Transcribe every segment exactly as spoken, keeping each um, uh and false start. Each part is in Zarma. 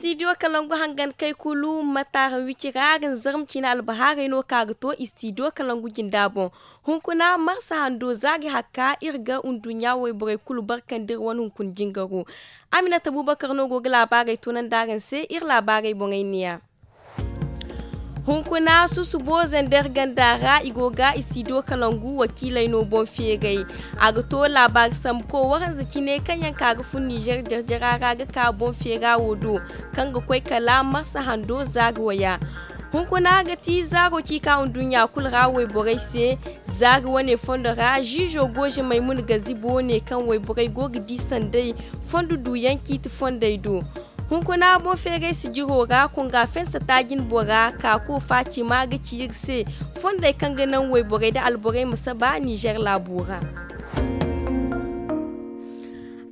Istidiyo kalangu hangan kay kulu mataaran wici ra ga nzarma cine albahaarey no ka ga to istidiyo kalangu jinda boŋ. Hunkuna marsa hando za ga hakka iri ga nduɲɲa wayborey kulu barkandi iri wane hunkuna jingaro. Aminata bubakar no go ga laabaarey tunandi araŋ se iri laabaarey boŋey neeya. Hunkuna susubo zender ganda ra i go ga istidiyo kalangu wakiiley no boŋ feeray. A ga to laabaari sambu ko waranza cine kaŋ yaŋ ka ga fun nizer jarjara ra ga ka boŋ feera wo do, kaŋ ga koy kala marsa hando zaari waya. Hunkuna ga ti zaaro ci ka nduɲɲa kulu ra wayborey se. Zaari wane fondo ra ziizo gooze maymuna gazibo ne kaŋ wayborey go ga di sanday fondo duyaŋ ciiti fondey do. Hunkuna boŋ feeray sijiro ra kunga fensa taajin bora ka ko faacima ga ci iri se fondey kaŋ ga naŋ wayborey nda alborey ma saba nizer laabo ra.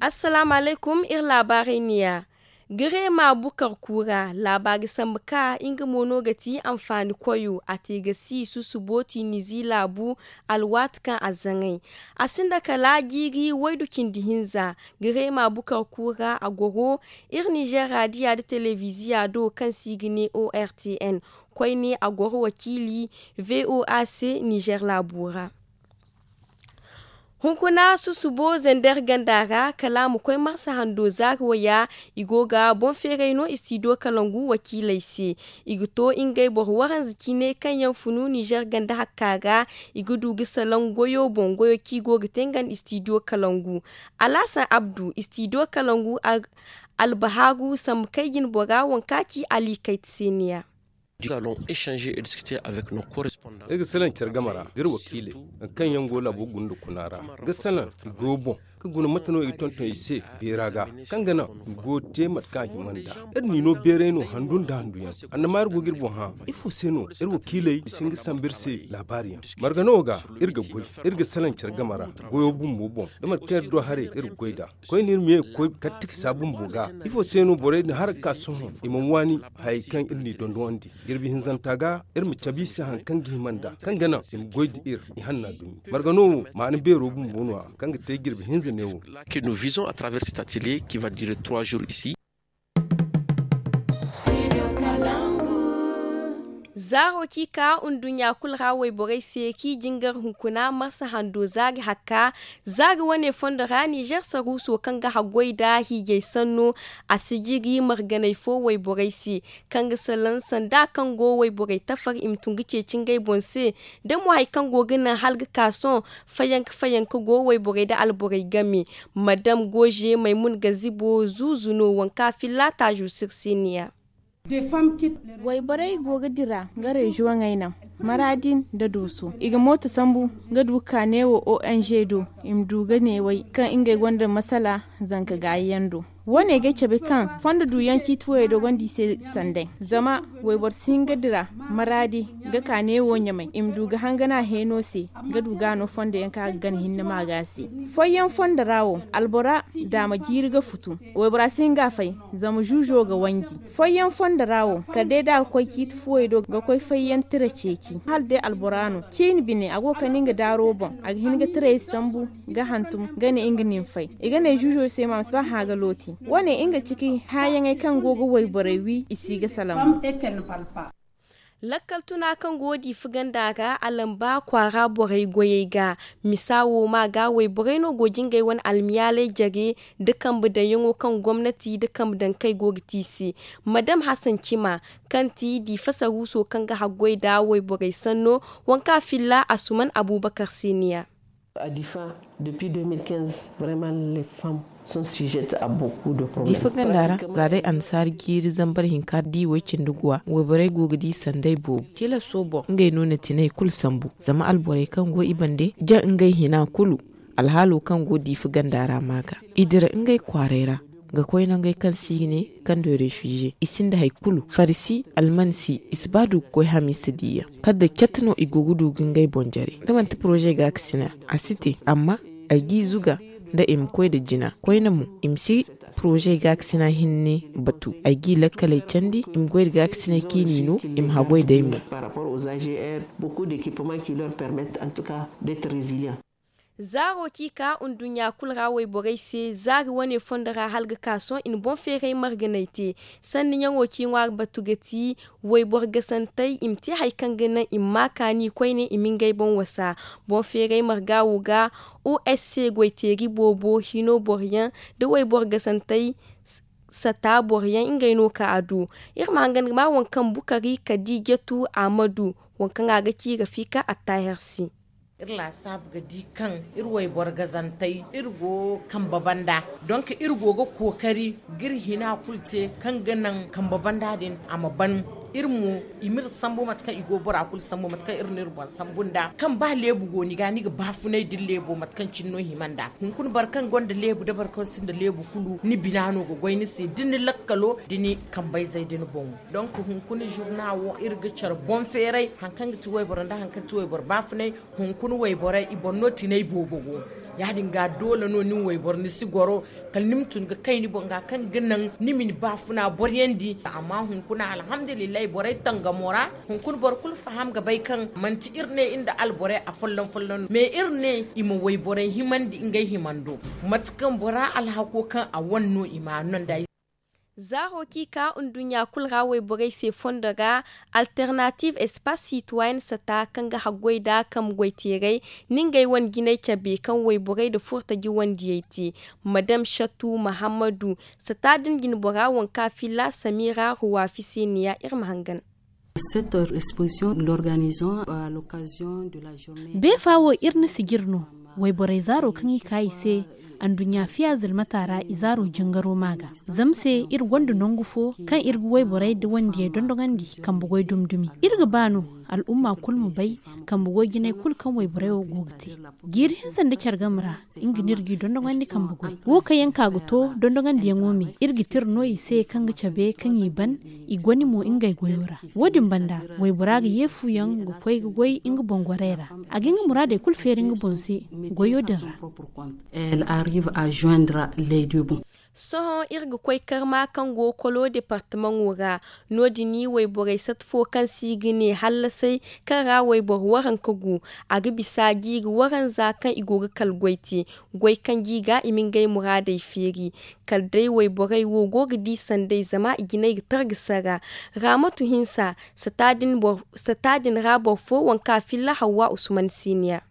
Assalaamu alaykum iri laabaarey neeya. Gareema bukar kuura laabaari sambu ka nga mo no ga ti anfaani koyo a te ga si susubo tinizi laabu. Alwaati kaŋ a zaŋay a sinda kala jiiri waydu cindi hinza. Gareema bukar kuura a goro iri nizer raadiya nda telebiziya do kaŋ se i ga ne ortn. Koyne a goro wakiili voa se nizer laabo ra. Hunkuna susubo zender ganda ra kala a ma koy marsa hando zaari waya. I go ga boŋ feeray no istidiyo kalangu wakiiley se. I ga to ngey boro waranza cine kaŋ yaŋ funu nizer ganda hakka ra. I ga du ga salaŋ goyo boŋ goyo kaŋ i go ga te nga nda istidiyo kalangu. Alhasan abdu istidiyo kalangu albahaaru sambu kay jine bora waŋ kaŋ a ci ali kayta se neeya. Iri ga salaŋ care game ra da iri wakiiley, nangu kaŋ yaŋ go laabo guna nda kuna ra ga salaŋ i goyo boŋ, ka guna mate no i ga tonton i se beera ga, kaŋ ga naŋ i goyo te mate kaŋ a hima nd'a. Iri n'i no beeray no handu nda handu yaŋ. Annama iri go ga iri boŋ hã, ifo se no iri wakiiley i si hin ga sambu iri se laabaari yaŋ? Margano ga iri ga goy, iri ga salaŋ care game ra goyo bumbo boŋ da mate kaŋ iri du haray iri ga goy nd'a. Koyne iri ma ye ga koy kala tiksa bumbo ga. Ifo se no borey din hara ga ka sohõ i mana waani hayey kaŋ iri n'i dondonandi? Jirbi hinzanta ga iri ma cabe i se hari kaŋ ga hima nd'a, kaŋ ga naŋ i ma goy nda iri ihanna dumi. Margano wo maana beero bumbo no- ya kaŋ ga te jirbi hinza neewo. Zaaro ci ka nduɲɲa kulu ra wayborey se kaŋ i jingar hunkuna marsa hando zaari hakka. Zaari wane fondo ra nizer saruuso kaŋ ga haggoy nda hiijay sanno, a si jiri marganay fo wayborey se, kaŋ ga salaŋ sanda kaŋ go wayborey tafar i ma tun ga ceeci ngey boŋ se. Da mo hari kaŋ go ga naŋ hala ga ka sohõ fayanka fayanka go wayborey nda alborey game. Madam goze maymun gazibo zuuzu no waŋ kaŋ a filla taazo se iri se neeya. Wayborey go ga dira nga reziyoŋey naŋ, maraadi nda dooso i ga mooto sambu ga du ga ka neewo ong do i ma du ga neewey kaŋ ngey gonda masala zanka gaayi yaŋ do. Wo- ne ga ay cabe kaŋ fondo duyaŋ ciiti fooyey do gonda i se sanday. Zama wayboro si hin ga dira maraadi ga ka neewo ɲamay i ma du ga hangana heeno se, ga du ga no fondo yaŋ kaŋ a ga gana hinne maaga se. Folloŋ fondo ra wo, albora daama jiiri ga futu. Waybora si hin ga a fay, zama zuuzo ga wanji. Folloŋ fondo ra wo, kala day da a ga koy ciiti fuwey do ga koy fayyaŋ tira ceeci hala day albora no ciini bine a go ga kande nga daaro boŋ, a ga hin ga tirey sambu ga hantum ga ne nga na ni fay. I ga ne zuuzo se ma a ma si ba hã ga looti. Wo- ne nga ciki hãyaŋey kaŋ go ga wayborey wi i si ga salaŋ. Lakkal tuna kaŋ go diifa ganda ra a lamba kwaara borey goyey ga. Misa wo ma ga wayborey no go jingay wane almiyaaley jare nda kambe daŋyaŋo kaŋ gomnati nda kambe daŋ kay go ga te i se. Madam hasan cima, kaŋ ti diifa saruuso kaŋ ga haggoy nda wayborey sanno, waŋ kaŋ a filla asuman abubakar se niya. Diifa ganda ra za day annasaara jiiri zambar hinka di way cindi guwa wayborey go ga di sanday boobo tilaso boŋ ngey no na tinay kulu sambu. Zama alborey kaŋ go i bande jaŋ ngey hina kulu. Alhaalo kaŋ go diifa ganda ra ma ga i dira ngey kwaaray ra ga koy nangey kaŋ se i ga ne kando refize i sinda hari kulu farisi almansi i si ba du ga koy hamiisa diiyaŋ. Kala day catta no i go ga du ga ngey boŋ jare da manti poroze gaakasina a si te. Amma ay g'i zuga nda i ma koy nda jina koyne mo i ma si poroze gaakasina hinne batu ay g'i lakkaley candi i ma goy nda gaakasinay kaŋ i n'i no i ma haggoy day mo. Zaaro kaŋ i ka nduɲɲa kulu ra wayborey se zaari wane fondo ra hala ga ka sohõ i na boŋ feeray marganay te. Sanni ɲaŋo kaŋ i ŋwaari batu ga ti wayboro gasantey i ma te hari kaŋ ga naŋ i ma ma kaani koyne i ma ngey boŋ wasa. Boŋ feeray marga wo ga osc goyteeri boobo hino boro yaŋ nda wayboro gasantey sata boro yaŋ ngey no ka a du. Iri ma hangan ga ma waŋ kaŋ bukari kadi jatu ahmadu waŋ kaŋ a ga ci rafiika attaaher se. Iri laasaabu ga di kaŋ iri wayboro gazantey iri go kambe banda. Donk iri go ga kookari ga iri hina kulu te kaŋ ga naŋ kambe banda din a ma ban. Iri mo i ma iri sambu mate kaŋ i go bora kulu sambu mate kaŋ iri na iri boŋ sambu nd'a kaŋ ba leebu go ni ga ni ga baafunay da iri leebo mate kaŋ cine no hima nd'a. Hunkuna boro kaŋ gonda leebu nda boro kaŋ sinda leebu kulu ni bina no ga goy ni se da ni lakkalo da ni kambayzey da ni boŋo. Donk hunkuna zurna wo iri ga care boŋ feeray hari kaŋ ga ti wayboro nda hari kaŋ ga ti wayboro baafunay. Hunkuna wayborey i boŋ no tinay boobo go. Ya- din ga doole no nin wayboro ni si goro kala ni ma tun ga kay ni boŋ ga kaŋ ga naŋ ni ma ni baafuna boryandi. Amma hunkuna alhamdulillahi borey tangamo ra hunkuna boro kulu faham ga bay kaŋ manti iri ne iri nda alborey afolloŋ folloŋ no mais iri ne i ma wayborey himandi ngey himando. Mate kaŋ bora alhako kaŋ a wane no i ma a no nd'a. Zaaro kaŋ i ka nduɲɲa kulu ra wayborey se fondo ra alternative espace citoyen sata kaŋ ga haggoy nd'a kambe goyteerey na ngey wane jinay cabe kaŋ wayborey nda furtaji wandiyey te. Madame shattu mahammadu sata din jinbora waŋ kaŋ a filla samira ruwafi se neeya iri ma hangan. Cette exposition l'organisons à l'occasion de la journée. Beefa wo iri na sijir no wayborey zaaro kaŋ i ka i se anduɲɲa fiya zilmata ra i zaaro jingaro ma ga. Zama se iri gonda nangu fo kaŋ iri ga wayborey nda wandiyey dondoŋandi kambe goy dumi dumi. Iri ga ba no al'umma kulu ma bay kambe goy jinay kulu kaŋ wayborey wo go ga te. Jiiri hinza nda care game ra nga no iri g'i dondoŋandi kambe goy wo kaŋ yaŋ ka ga to dondoŋandiyaŋo me iri ga tira no i se kaŋ ga cabe kaŋ i ban i goni mo ngey goyo ra. Wo- din banda waybora ga ye fu yaŋ ga koy ga goy nga boŋ gorey ra. A ga nga muraadey kulu feeri nga boŋ se goyo din ra. Elle arrive à joindre les deux bouts. Sohõ iri ga koy karma kaŋ go kolo departamaŋo ra. No- din wayborey sata fo kaŋ se i ga ne hallasay kaŋ ra wayboro waranka go. A ga bisa jiiri waranza kaŋ i go ga kala goy te goy kaŋ ga i ga i ma ngey muraadey feeri. Kala day wayborey wo go ga di sanday zama i jinay ga targa sara. Raamatu hinsa sata din ra boro fo waŋ kaŋ a filla hawwa usman siniya.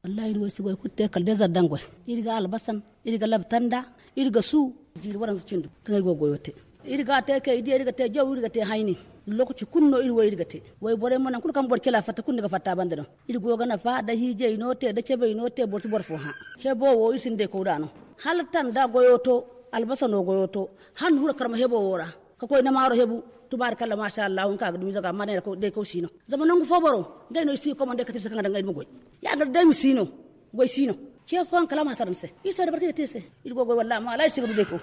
Wallaahi iri wo ay si goy kulu te kala day zardaŋ goy. Iri ga albasan, iri ga labtanda, iri ga su jiiri waranza cindu kaŋ ay go ga goyo te. Iri ga a te kay diya iri ga te jaw iri ga te hayni. Lookaci kulu no iri wo iri ga te. Wayborey mo nangu kulu kaŋ boro cila fatta kulu ni ga fatta a banda no. Iri go ga nafa da hiijay no te da cebay no te boro si boro fo hã. Hebo wo iri sinda day kaw da no. Hala tanda goyo to, albasa no goyo to, hala ni hura karma hebo wo ra. Ka koy na maaro hebu. Tubaari kalla maasa allahu ni ka ga dumi zaga amma day kaw si no. Zama nangu fo boro ngey no i si ga komande kate iri se kaŋ ga daŋ ay ma goy. Ya- din day ma si no. Goy si no. Ce fooyaŋ kala a ma hasara ni se. Iri se da barka iri ga te iri se. Iri go goy wallaahi amma wallaahi iri si ga du day kaw.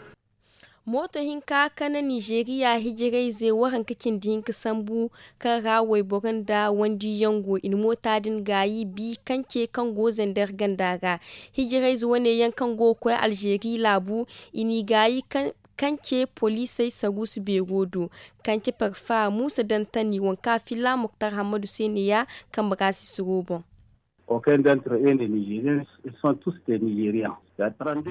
Mooto hinka kaŋ na nizeeriya hijirayze waranka cindi hinka sambu kaŋ ra wayboro nda wandiyaŋ go i na moota din gaayi bi kance kaŋ go zandar ganda ra. Hijirayze wane yaŋ kaŋ go ga koy alzeeri laabu i n'i gaayi kance poliisey saruusu beero do. Kance parfa muusa dantani waŋ kaŋ a filla moktar hammadu se neeya kambe ra sisiro boŋ.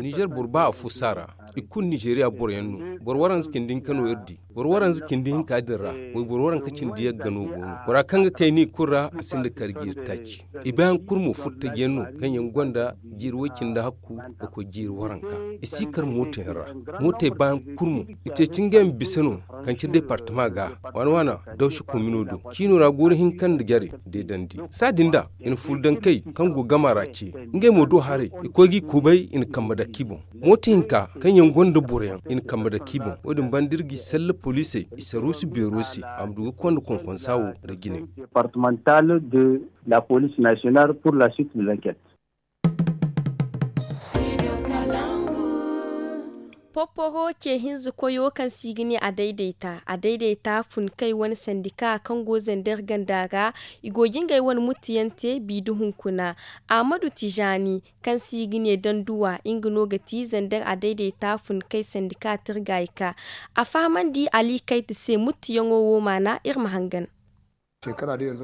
Nizer boro ba afo si a ra. I kulu nizeriya boroyaŋ no. Boro waranza cindi hinka no iri di. Boro waranza cindi hinka din ra wayboro waranka cindi yagga no go no. Bora kaŋ ga kay no i kulu ra a sinda kar jiiri taaci. I bayaŋ kulu mo furtajiyaŋ no kaŋ yaŋ gonda jiiri way-cindi hakku ga koy jiiri waranka. I si kar mootoyaŋ ra. Mootey bayaŋ kulu mo i ceeci ngey ma bisa no. Kance departama ga waana waana dawsi komino do ciino ra gooro hinka nda jare deedandi. Saadin da i na fuula dankey kaŋ go gama ra ce. Ngey mo do haray i koy g'i kubay i na kambe dake i boŋ. Mooto hinka kaŋ yaŋ gonda boroyaŋ i na kambe dake i boŋ. Wo- din banda iri g'i salle poliisey i saruusu beero se a ma du ga konda konkonsa wo nda jine. Departemental de la police nationale pour la suite de l'enquête. Popporo ce hinza koyo kaŋ se i ga ne a dayday ta a dayday ta fun kay wane sandika kaŋ go zander ganda ra. I go ga ngey wane muttiyaŋ te bi da hunkuna. Ahmadu tijaani kaŋ se i ga ne danduwa nga no ga ti zander a dayday ta fun kay sandika tirga i ka. A fahamandi ali kayta se muttiyaŋo wo maana iri ma hangan.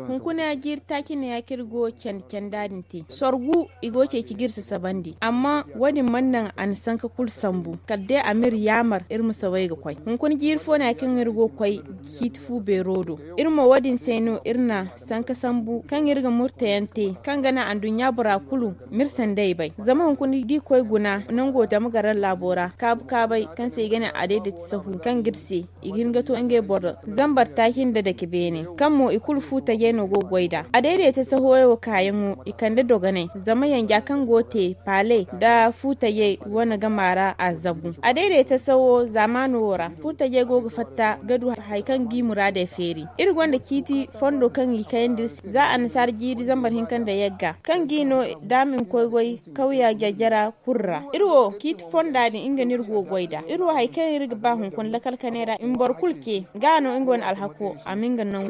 Hunkuna jiiri taaci ne ya kaŋ iri go candi canda din te sorgu i go ceeci ga iri sasabandi amma wo- din mana naŋ a na sanka kulu sambu kala day a ma iri yaamar iri ma saway ga koy. Hunkuna jiiri fo no ya kaŋ iri go ga koy ciiti fu beero do. Iri mo wo- din se no iri na sanka sambu kaŋ iri ga murtayaŋ te kaŋ ga naŋ anduɲɲa bora kulu ma iri sanday bay zama hunkuna da i koy guna nango dama garan laabo ra kaabu kaabay kaŋ se i ga ne a dayday ti sahu kaŋ ga iri se i ga hin ga to ngey boro zambar taaci nda dake beene kaŋ mo i kulu fu tajey no go ga goy nd'a. A dayday ta sahoyey wo kaayaŋo i kande dogonay zama yanja kaŋ go ga te paale nda fu tajey wane gama ra a zabu. A dayday ta saho zaamaano wo ra fu tajey go ga fatta ga du hari kaŋ ga i muraadey feeri. Iri gonda ciiti fondo kaŋ i kayandi iri se za annasaara jiiri zambar hinka nda yagga kaŋ ga i no da a ma i ma koy goy kawya jajjara kulu ra. Iri wo ciiti fonda din nga no iri go ga goy nd'a iri wo hari kaŋ iri ga ba hunkuna lakal kanay ra i ma boro kulu ce ga no nga wane alhako a ma nga nangu.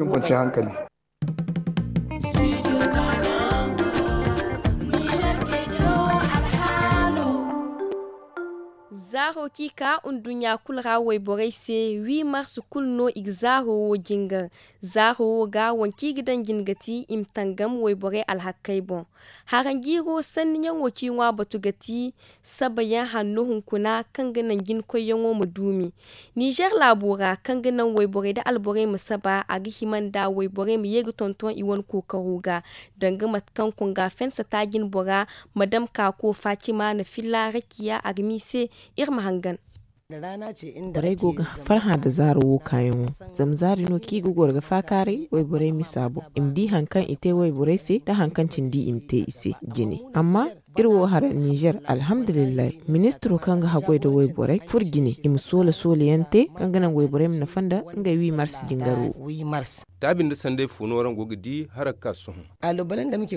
Zaaro kaŋ i ka nduɲɲa kulu ra wayborey se wi mars kulu no i ga zaaro wo jingar. Zaaro wo ga waŋ kaŋ i ga daŋ jine ga ti i ma tangam wayborey alhakkey boŋ. Haranjiiro sanniyaŋo kaŋ i ŋwa batu ga ti sabayaŋ hanno hunkuna kaŋ ga naŋ jinkoyyaŋo ma duumi. Nizer laabo ra kaŋ ga naŋ wayborey nda alborey ma saba a ga hima nda wayborey ma ye ga tonton i wane kookaro ga danga mate kaŋ konga fensata jinbora madam kaako fatima na filla rakiya a ga ma i se. Iri ma hangan. Borey go ga farhã nda zaaro wo kaayaŋo. Zama zaari no kaŋ i ga goro ga faakaaray wayborey misa boŋ i ma di hari kaŋ i te wayborey se nda hari kaŋ cindi i ma te i se jine. Amma iri wo hara nizer alhamdulillahi ministiro kaŋ ga haggoy nda wayborey furo jine i ma soola soolayaŋ te kaŋ ga naŋ wayborey ma nafa nda ngey wi mars jingaro wo. Taabi nda sanday fo no araŋ go ga di hala ga ka sohõ.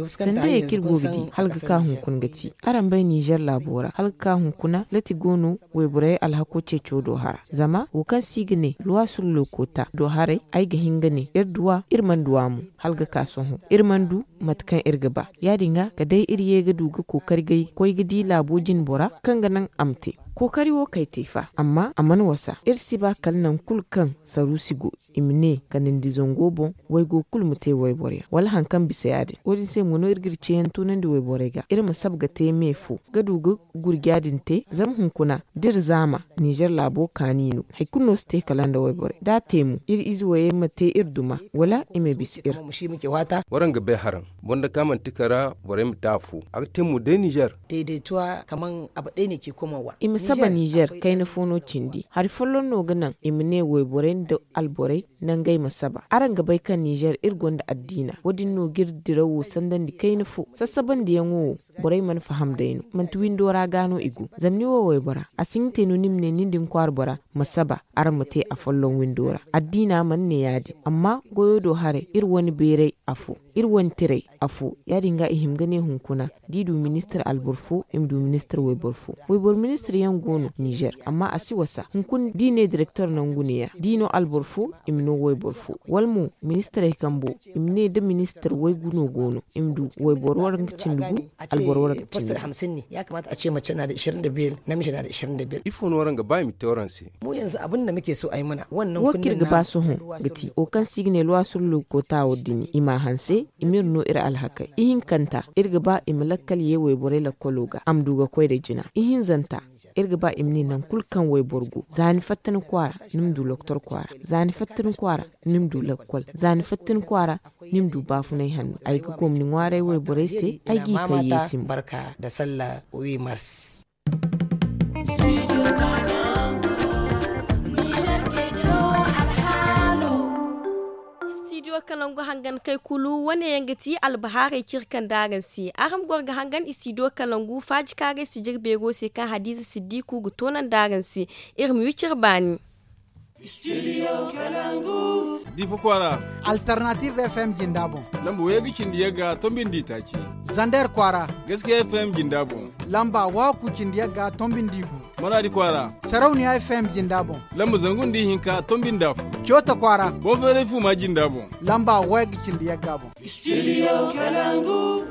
Sandayey kaŋ iri go ga di hala ga ka hunkuna ga ti araŋ bay nizer laabo ra hala ga ka hunkuna lati go no wayborey alhako ceeco do hara zama wo kaŋ se i ga ne luwa sur lookota do haray ay ga hin ga ne iri duw'a iri mana duw'a mo. Hala ga ka sohõ iri mana du mate kaŋ iri ga ba ya- din ga kala day iri ye ga du ga kookari gay koy ga di laabo jinbora kaŋ ga naŋ a ma te. Kookari wo kay te fa amma a mana wasa iri si ba kala naŋ kulu kaŋ saruusi go i ma ne kala ni di zango boŋ waygo kulu ma te wayboryaŋ wala hari kaŋ bisa ya- din wo- din se mo no iri ga iri ceeyaŋ tunandi wayborey ga iri ma saba ga te me fo ga du ga gurja din te zama hunkuna da iri zaama nizer laabo kaani no hari kulu no si te kala nda wayborey da a te mo iri ize wayey ma te iri duma wala i ma bisa iri. Waraŋ ga bay haraŋ boro nda kaŋ a mana ti kara borey ma te afo a ga te mo day nizer. I ma saba nizer kayna fo no cindi hari folloŋ no ga naŋ i ma ne wayborey nda alborey nangey ma saba araŋ ga bay kaŋ nizer iri gonda addiina wo- din no ga iri dirawo sandandi kayna fo sasabandiyaŋo wo. Borey mana faham day no manti windo ra ga no i go zama ni wo waybora a si hin ga te no ni ma ne nin din kwaara bora ma saba araŋ ma te afolloŋ windo ra addiina mana ne ya- din amma goyo do haray iri wane beeray afo iri wane tiray afo ya- din ga i hima ga ne hunkuna da i du ministir alboro fo i ma du ministir wayboro fo wayboro ministir yaŋ go no nizer amma a si wasa hunkuna da i ne direktor nangu ne- ya da i no alboro fo i ma no wayboro fo wala mo ministirey kambo i ma ne da ministir waygu no go no i ma du wayboro waranka cindi gu alboro waranka cindi gu. Ifo no araŋ ga ba i ma te waraŋ se? Wo kaŋ iri ga ba sohõ ga ti wo kaŋ se i ga ne luwa sur lookota wo- din i m'a hanse i ma iri no iri alhakey ihinkanta iri ga ba i ma lakkal ye wayborey lakkolo ga a ma du ga koy nda jina ihinzanta iri ga ba i ma ne nangu kulu kaŋ wayboro go za ni fatta ni kwaara ni ma du loktor kwaara za ni fatta ni kwaara ni ma du lakkol za ni fatta ni kwaara ni ma du baafunay hanno ay ga gomni ŋwaaray wayborey se ay g'i kay yeesi mo. Studio kalangu hangan kay kulu wane yaŋ ga ti albahaarey kaŋ iri kande araŋ se araŋ ma goro ga hangan studio kalangu faaji kaaray sijir beero se kaŋ hadiza siddiku ga toonandi araŋ se. Iri ma wi cire baani. Difa kwaara. Alternative F M jinda boŋ. Lamba waygu cindi yagga tombindi taaci. Zander kwaara. Gaskiya F M jinda boŋ. Lamba waaku cindi yagga tombindi gu. Maradi kwaara. Sarauniya F M jinda boŋ. Lamba zangu nda ihinka tombinda fo. Coota kwaara. Bonferey fuma jinda boŋ. Lamba waygu cindi yagga boŋ. Studio Kalangu.